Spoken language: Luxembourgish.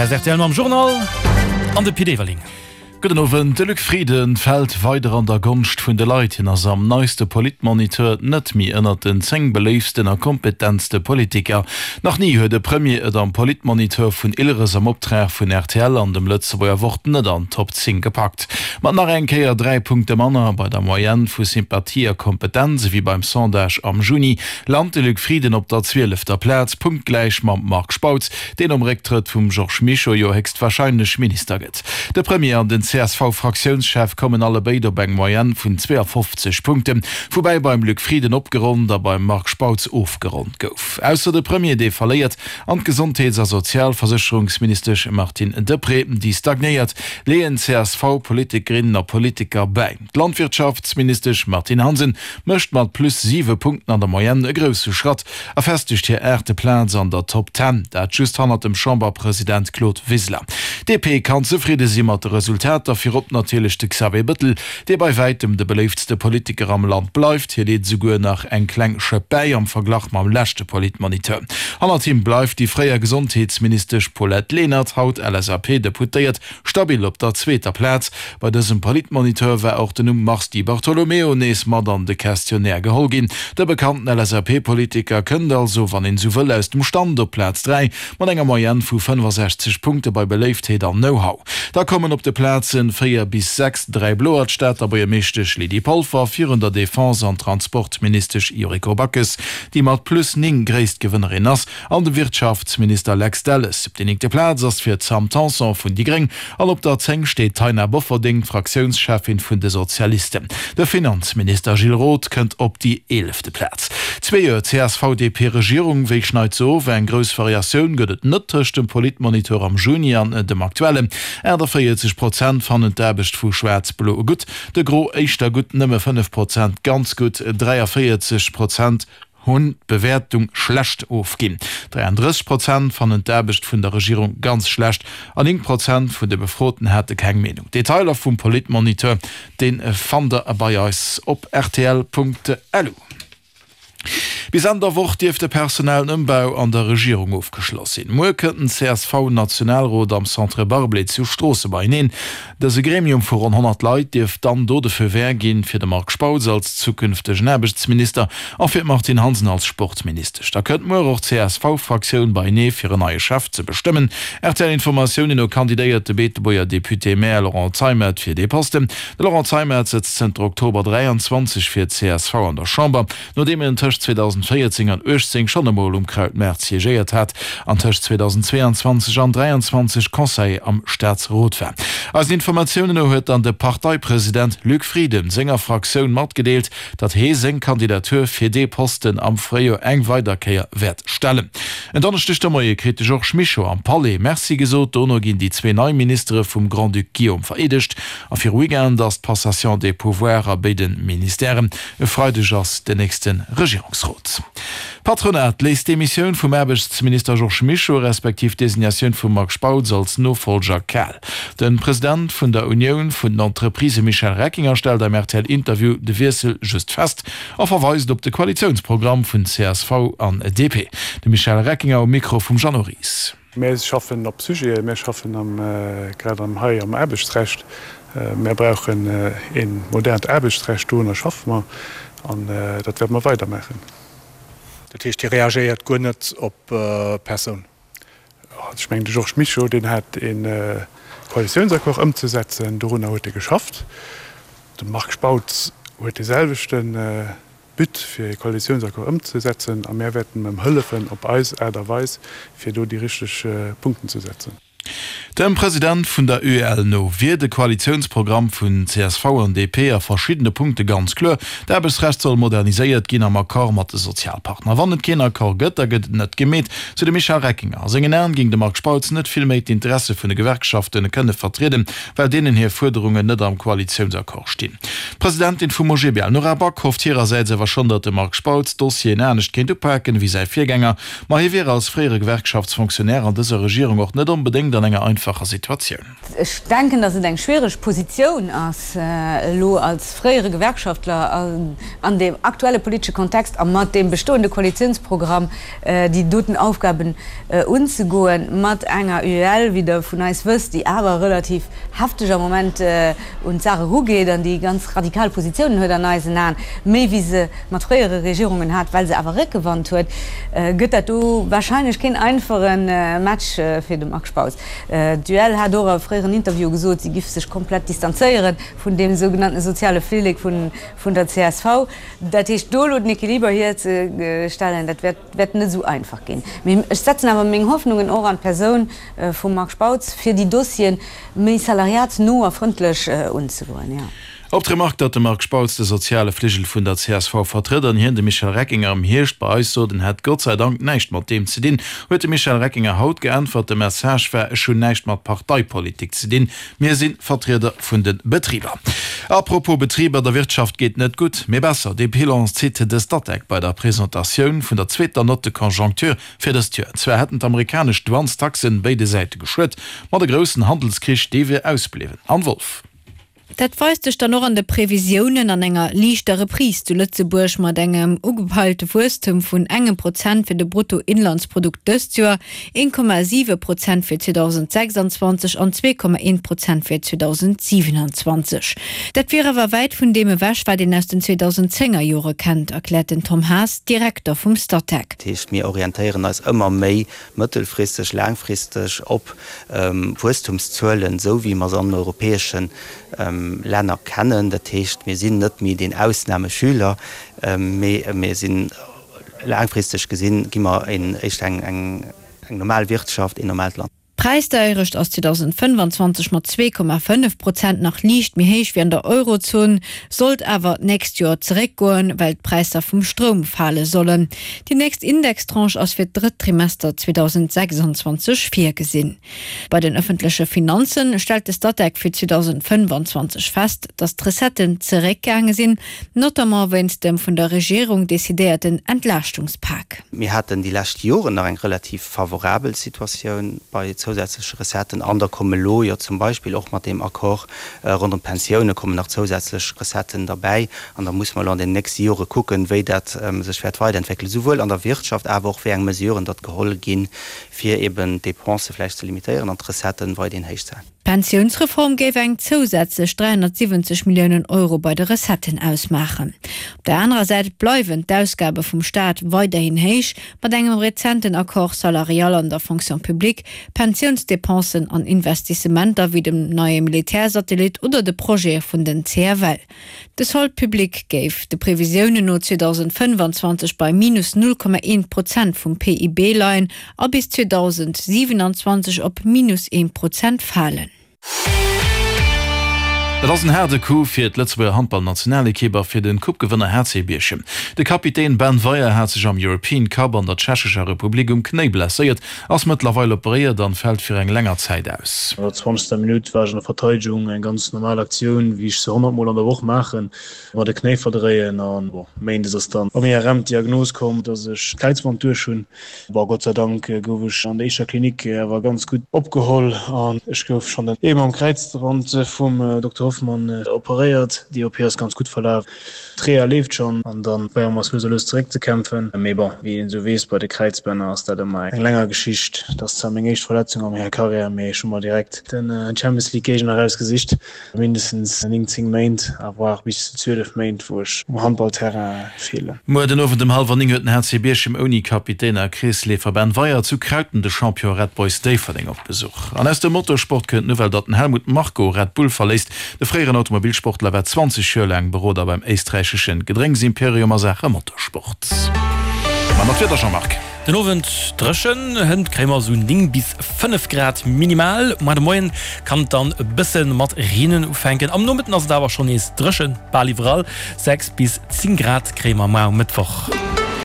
Hei ass rtl mam Journal an de Pit Everling. Gudden Owend. De Luc Frieden fält weider an der Gonscht vun de Leit. Hien ass am neiste Politmoniteur net méi ënnert den 10 beléiftsten a kompetentste Politiker. Nach ni huet e Premier et am Politmoniteur vun Ilres am Optrag vun rtl an dem Lëtzebuerger Wort net an d'Top 10 gepackt. Mat nach eng Kéier 3 Punkte manner bei der Moyenne vu Sympathie a Kompetenz ewéi beim Sondage am Juni, lant de Luc Frieden op der zwielefter Plaz, punktgläich mam Marc Spautz, deen nom Récktrëtt vum Georges Mischo jo héchstwarscheinlech Minister gëtt. De Premier an den CSV-Fraktiounschef kommen allebéid op eng Moyenne vun 52 Punkten, woubäi beim Luc Frieden opgeronnt a beim Marc Spautz ofgeronnt gouf. Ausser de Premier, dee verléiert, an d'Gesondheets a Sozialversécherungsministesch Martine Deprez, déi stagnéiert, leeën d'CSV-Politikerinnen a Politiker bäi. D'Landwirtschaftsministesch Martine Hansen mécht mat plus 7 Punkten an der Moyenne e grousse Schratt a festegt hir aachte Plaz an der Top Ten, dat just hannert dem Chamberpresident Claude Wiseler. D'DP kann zefridde si mat de Resultater, virop natierlech de Xavier Bettel, dee bei wäitem de beléiftste Politiker am Land bleift. Hie leet esouguer nach eng kleng Schëpp bäi am Verglach mam leschte Politmoniteur. Hannert him bleift déi fréier Gesondheetsministesch Paulette Lenert, haut LSAP-Deputéiert, Stabil op der zweeter Plaz. Bei dësem Politmoniteur war och den Numm Mars Di Bartolomeo nees mat an de Questionnaire geholl ginn. De bekannten LSAP-Politiker kënnt also, wann een esou wëll, aus dem Stand op Plaz 3 mat enger Moyenne vu 65 Punkte bei Beléiftheet an Know-how. Da kommen op de Plazen 4 bis 6 dräi Bloer, d'Stater Buergermeeschtesch Lydie Polfer virun der Defense an Transportministesch Yuriko Backes, déi mat plus 9 gréisst Gewënnerin ass, An de Wirtschaftsminister Lex Delles. Déi néngte Plaz ass fir d'Sam Tanson vun déi Gréng an op der 10 steet d'Taina Bofferding, d'Fraktiounscheffin vun de Sozialisten. De Finanzminister Gilles Roth kënnt op déi eelefte Plaz. Zwee Joer CSV-DP-Regierung, wéi schneit se of? Eng grouss Variatioun gëtt et net tëscht dem Politmoniteur am Juni an dem aktuellen. 48 Prozent fannen d'Aarbecht vu Schwaarz-Blo gutt, de Gros éischter gutt, nëmme 5 Prozent ganz gutt, 43 Prozent hunn d'Bewäertung schlecht ofginn. 33 Prozent fannen d'Aarbecht vun der Regierung ganz schlecht an 9 Prozent vun de Befroten hate keng Meenung. Detailer vum Politmoniteur, dee fannt der bei eis op rtl.lu. Bis Enn der Woch dierft de personellen Ëmbau an der Regierung ofgeschloss sinn. Muer kënnt den CSV-Nationalrot am Centre Barblé zu Stroosse beieneen. Dëse Gremium vu ronn 100 Leit dierft dann do de Feu vert ginn, fir de Marc Spautz als zukünftegen Aarbechtsminister a fir d'Martine Hansen als Sportministesch. Da kënnt muer och d'CSV-Fraktioun beienee fir en neie Chef ze bestëmmen. RTL-Informatiounen no kandidéiert de Beetebuerger Député-Maire Laurent Zeimet fir dee Posten. De Laurent Zeimet sëtzt zënter Oktober 23 fir d'CSV an der Chamber. Nodeem en tëscht 2014 an 18 schonn emol um Krautmaart siégéiert hat an tëscht 2022 an 23 Conseiller am Staatsrot war. Eisen Informatiounen no huet dann de Parteipresident Luc Frieden senger Fraktioun matgedeelt, datt hee seng Kandidatur fir dee Posten am Fréijoer eng weider Kéier wäert stellen. En Donneschdeg de Moie kritt de Georges Mischo am Palais Merci gesot. Dono ginn déi zwee nei Ministere vum Grand-Duc Guillaume vereedegt a viru Weekend ass d'Passation des pouvoirs a béide Ministèren. E Freideg ass den nächste Regierungsrot. D'Patronat léisst d'Demissioun vum Aarbechtsminister Georges Mischo, respektiv d'Designatioun vum Marc Spautz als Nofollger kal. De President vun der Unioun vun den Entreprisë Michel Reckinger stellt am RTL-Interview de Wiessel just fest a verweist op de Koalitiounsprogramm vun csv an DP. De Michel Reckinger um Mikro vum Jeannot Ries. Mär schaffen op Sujeten, mär schaffen am, grad am hei am Aarbechtsrecht. Mär brauchen ee modernt Aarbechtsrecht, dorunner schaffe mer an dat wäerte mer weidermaachen. Dat heescht, Dir reagéiert guer net op d'Persoun? Ech mengen, de Georges Mischo, deen hat ee Koalitiounsaccord ëmzesetzen, dorunner huet e geschafft. De Marc Spautz huet dee selwechte But, fir ee Koalitiounsaccord ëmzesetzen, a mär wäerten em hëllefen op eis Aart a Weis, fir do déi richteg Punkten ze setzen. Dem President vun der UEL no wier de Koalitiounsprogramm vun csv an DP a verschiddene Punkte ganz kloer, D'Aarbechtsrecht soll moderniséiert ginn am Accord mat de Sozialpartner. Wann et keen Accord gëtt, da gëtt et net gemeet, sou de Michel Reckinger. A sengen Aen géing de Marc Spautz net vill méi d'Interesse vun de Gewerkschafte kënne vertrieden, well deenen hir Fuerderungen net am Koalitiounsaccord stinn. D'Presidentin vum OGBL, Nora Back, hofft hirersäits awer schonn, datt de Marc Spautz d'Dossieren anescht kéint upaken ewéi säi Virgänger. Ma hie wier als fréiere Gewerkschaftsfonctionnaire an dëser Regierung och net onbedéngt. onbedéngt an enger einfacher Situatioun. Ech denken, datt et eng schwiereg Positioun ass, elo als fréiere Gewerkschaftler an deem aktuelle politesche Kontext a mat deem bestoende Koalitiounsprogramm déi doten Aufgaben unzegoen, mat enger UEL, wéi Der vun eis wësst, déi awer relativ hefteg am Moment un d'Saach erugeet an déi ganz radikal Positiounen huet an eisen Aen, méi wéi se mat fréiere Regierungen hat, well se awer Réckewand huet, gëtt dat do wahrscheinlech keen einfache Match fir de Marc Spautz. D'UEL hat och a fréieren Interviewe gesot, si giff sech komplett distanzéiere vun deem sougenannte soziale Flillek vun der csv. Dat heescht, do elo den Equiliber hierzestellen, dat wäert net esou einfach ginn. Mee ech setzen awer meng Hoffnungen och an d'Persoun vum Marc Spautz, fir déi Dossiere méi salariatsno a frëndlech unzegoen, jo. Op d'Remark, datt de Marc Spautz de soziale Fligel vun der csv vertrëtt an hien de Michel Reckinger am Hierscht bei eis sot, en hätt Gott sei Dank näischt mat deem ze dinn, huet de Michel Reckinger haut geäntwert, De Message war, ech hunn näischt mat Parteipolitik ze dinn, mir si Vertrieder vun de Betriber. A propos Betriber, der Wirtschaft geet net gutt, mee besser. Dee Bilan zitt de Statec bei der Presentatioun vun der zweeter Note de conjoncture fir dëst Joer. Zwar hätten d'amerikanesch Douanestaxen béide Säite geschuet, ma de groussen Handelskrich, dee wier ausbliwwen. Anne Wolff. Dat weist sech dann och an de Previsiounen an enger liichter Reprise zu Lëtzebuerg mat engem ugepeilte Wuesstem vun engem Prozent fir de Bruttoinlandsprodukt dëst Joer, 1,7 Prozent fir 2026 an 2,1 Prozent fir 2027. Dat wier awer wäit vun deem ewech, wat een aus den 2010er Jore kennt, erkläert den Tom Haas, Direkter vum Statec. Dat heescht, mir orientéieren eis ëmmer méi mëttelfristeg, laangfristeg op Wuesstumszuelen, esou wéi mer se an den europäesche Länner kennen. Dat heescht, mir sinn net méi deen Ausnahmeschüler, mee mir sinn laangfristeg gesinn, gi mer éischter eng normal Wirtschaft, een normaalt Land. D'Präisdeierecht ass 2025 mat 2,5 Prozent nach liicht méi héich wéi an der Eurozon, sollt awer d'nächst Joer zeréckgoen, well d'Präisser vum Stroum fale sollen. Déi nächst Indextranche ass fir d'drëtt Trimester 2026 virgesinn. Bei den ëffentleche Finanze stellt de Statec fir 2025 fest, datt d'Recetten zeréckgaange sinn, notamment wéinst dem vun der Regierung decidéierten Entlaaschtungspak. Mir haten déi lescht Joren nach eng relativ favorabel Situatioun bei zousätzleche Recetten an da komme elo jo zum Beispill och mat deem Accord ronderëm d'Pensioune kommen nach zousätzlech Recetten derbäi. An da musse mer elo an den nächste Jore kucken, wéi dat sech wäert weiderentwéckelen, souwuel an der Wirtschaft, awer och wéi eng Mesuren datt geholl ginn, fir eben d'Dépensë vläicht ze limitéieren an d'Recetten weiderhin héich ze halen. D'Pensiounsreform géif eng zousätzlech 370 Milliounen Euro bei de Recetten ausmaachen. Op der anerer Säit bleiwen d'Ausgabe vum Staat weiderhin héich, mat engem rezenten Accord salarial an der Fonction publique, Pensiounsdepensen an Investissementer wéi dem neie Militärsatellit oder de Projete vun den CFL. De Solde public géif de Previsiounen no 2025 bei minus 0,1 Prozent vum PIB leien a bis 2027 op minus 1 Prozent falen. Et ass en haarde Coup fir d'Lëtzebuerger Handballnationalekipp a fir de Coupe-Gewënner HC Bierchem. De Kapitän Ben Weyer hat sech am European Cup an der Tschechescher Republik um Knéi blesséiert, ass mëttlerweil operéiert an fält fir eng länger Zäit aus. An der zwanzegster Minutt war ech an der Verteidegung, eng ganz normal Aktioun, wéi ech se 100 Mol an der Woch maachen, mer de Knéi verdréien an bon, méindes ass dann am IRM d'Diagnos komm, dass ech d'Kräizband duerch hunn. Bon, Gott sei Dank gouf ech an der éischter Klinik awer ganz gutt opgeholl an ech gouf schonn den eben am Kräizrand vum Dokter Hoffmann operéiert. Déi OP ass ganz gutt verlaf. D'Reha leeft schonn an dann probéiere mer eis lues a lues zeréckzekämpfen. Mee bon, wéi een esou weess, bei de Kräizbänner ass dat ëmmer eng länger Geschicht. Dat ass zwar meng éischt Verletzung a menger Karriär, mee ech hu mer direkt den Champions League Géigner erausgesicht. Mindestens 9, 10 Méint, à voire bis zu 12 Méint, wou ech um Handballterrain feelen. Muer den Owend ëm hallwer 9 huet den HC Bierchem ouni Kapitän a Kreesleefer Ben Weyer zu Krauten de Champion Red Boys Déifferdeng op Besuch. An aus dem Motorsport kënnt d'Nouvelle, datt den Helmut Marko Red Bull verléisst. De fréieren Automobilsportler war 20 Joer laang Beroder beim éisträichesche Gedrénksimperium a Saache Motorsport. Mä mat Wieder, Jean-Marc. Den Owend dréchen, hënt kréie mer esou 9 bis 5 Grad minimal. Muer de Moien kann et dann e bësse mat reenen ufänken. Am Nomëtten ass et awer schonn nees dréchen, bal iwwerall. 6 bis 10 Grad kréie mer muer um Mëttwoch.